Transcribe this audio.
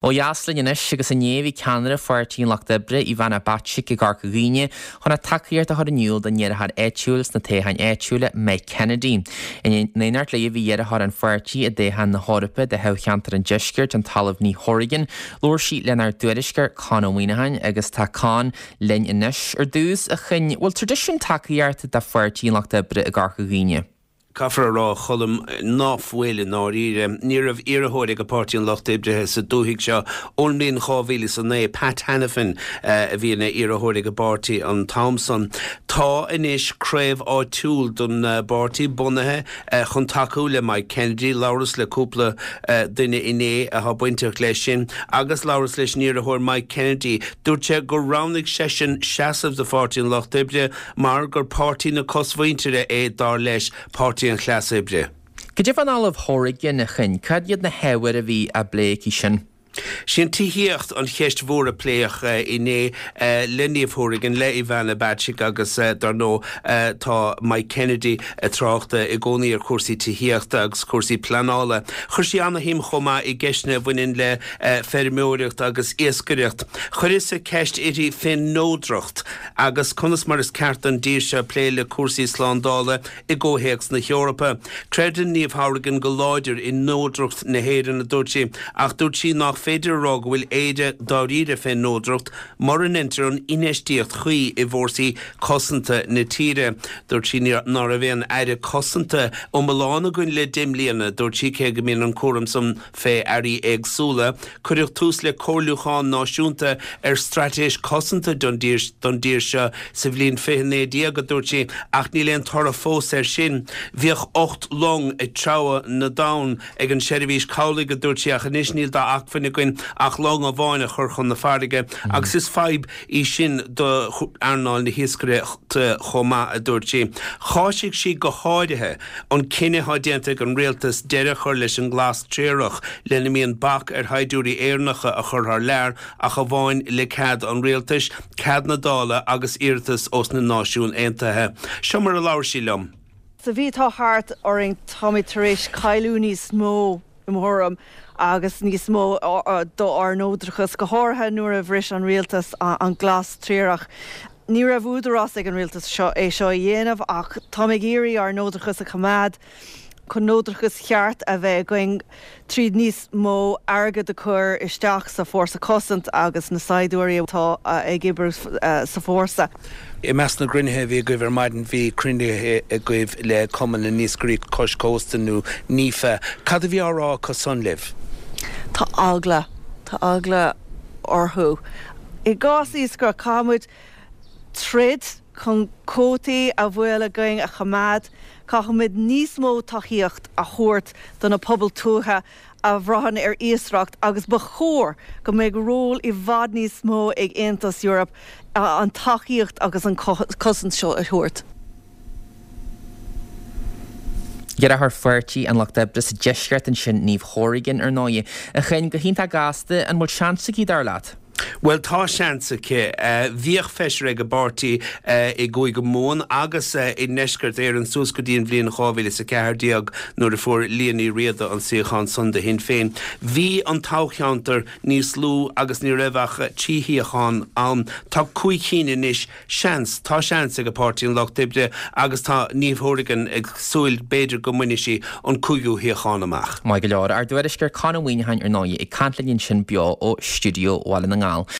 Ó dheas linn anois agus inné bhí ceannaire Pháirtí an Lucht Oibre, Ivana Bacik i gCorca Dhuibhne chun a tacaíocht a chur in iúl don iarrthóir áitiúil sna toghcháin áitiúla, Mike Kennedy. In éineacht léi bhí iarrthóir an pháirtí i dtoghchán na hEorpa do thoghcheantar an Deiscirt, an tOllamh Niamh Hourigan. Labhair sí lenár dtuairisceoir Con Ó Muíneacháin agus tá Con linn anois. Ar dtús, a Choinn, bhfuil traidisiún tacaíochta do Pháirtí an Lucht Oibre i gCorca Dhuibhne? Caithfear a rá, a Choilm, ná fuil i ndáiríre. Ní raibh iarrthóir ag Páirtí an Lucht Oibrithe sa dúthaigh seo ón mbliain 2009. Pat Hanafin a bhí ina iarrthóir ag an bpáirtí an t-am san. Tá anois craobh áitiúil don bpáirtí bunaithe chun tacú le Mike Kennedy. Labhras le cúpla duine inné atá bainteach leis sin agus labhras leis an iarrthóir Mike Kennedy. Dúirt sé gur roghnaigh seisean seasamh do Pháirtí an Lucht Oibre mar gur páirtí na cosmhuintire é, dar leis, páirtí an chleas oibre. Cad é fán Ollamh Hourigan, a Choinn? Cad iad na hábhair a bhí á bplé aici sin? Sí an tithíocht an cheist mhór a pléadh inné le Niamh Hourigan, le Ivana Bacik agus dar ndóigh tá Mike Kennedy ag trácht i gcónaí ar chúrsaí tithíochta agus cúrsaí pleanála. Chuir sí ana-shuim chomh maith i gceisteanna a bhaineann le feirmeoireacht agus iascaireacht. Chuireas-sa ceist uirthi fén neodracht. Agus conas mar is ceart don dtír seo plé le cúrsaí slándála i gcomhthéacs na hEorpa? Creideann Niamh Hourigan go láidir i neodracht na hÉireann, a dúirt sí, ach dúirt sí nach féidir a rá go bhfuil Éire dáiríre fén neodracht mura ndeintear an infheistíocht chuí i bhfórsaí cosanta na tíre. Dúirt sí ná raibh aon aire cosanta iomlán againn le 10 mbliana, dúirt sí, cé go mbíonn an cúram san fé airí éagsúla. Cuireadh tús le comhairliúchán náisiúnta ar straitéis cosanta don dtír seo sa bhliain 2019, a dúirt sí, ach níl aon toradh fós air sin. Bhíodh 8 long ag treabhadh na dtonn ag an Seirbhís Cabhlaigh, a dúirt sí, ach anois níl d'acmhainn againn ach long amháin a chur chun na farraige agus is fadhb í sin do earnáil na hiascaireachta chomh maith, a dúirt sí. Cháisigh sí go háirithe an cinneadh atá déanta ag an rialtas deireadh a chur leis an nglas triarach lena mbíonn bac ar shaighdiúirí Éireannacha a chur thar lear ach amháin le cead an rialtais, cead na Dála agus iarratas ós na Náisiúin Aontaithe. Seo mar a labhair sí liom. Sa mhí atá thart orainn táimid tar éis cailleadh níos mó i mo thuairim, agus níos mó d'ár neodrachas, go háirithe nuair a bhris an rialtas an glas triarach. Ní raibh údarás ag an rialtas seo é seo a dhéanamh ach táim ag iarraidh ár neodrachas a choimeád chun neodrachas cheart a bheith againn tríd níos mó airgead a chur isteach sa Fórsa Cosanta agus na saighdiúirí atá ag oibriú sa fórsa. I measc na gcruinnithe a bhí agaibh ar maidin bhí cruinnithe agaibh le Cumann na nIascairí Cois Cósta nó NIFA. Cad a bhí á rá acu san libh? Tá eagla, tá eagla orthu. I gcás iascaireacht caithfimid troid chun cuótaí a bhfuil againn a choimeád, caithfimid níos mó tacaíocht a thabhairt do na pobail tuaithe a bhraitheann ar iascaireacht agus ba chóir go mbeadh ról i bhfad níos mó ag Aontas Eorpach an tacaíocht agus an cosaint seo a thabhairt. Iarrthóir Pháirtí an Lucht Oibre sa Deisceart ansin, Niamh Hourigan, ar ndóigh. A Choinn, go hiontach gasta, an bhfuil seans aici, dar leat? Bhuel, tá seans aici. Bhíodh feisire ag an bpáirtí i gCúige Mumhan agus i nDeisceart Éireann suas go dtí an bhliain 2014 nuair a fuair Liadh Ní Riada an suíochán san do Shinn Féin. Bhí an toghcheantar níos lú agus ní raibh ach 3 shuíochán ann. Tá 5 cinn anois. Seans, tá seans ag Páirtí an Lucht Oibre agus tá Niamh Hourigan ag súil b'fhéidir go mbainfidh sí an cúigiú shuíochán amach. Maith go leor. Ár dtuairisceoir Con Ó Muíneacháin ar ndóigh ag caint linn ansin beo ó stiúideo Bhaile na nGall.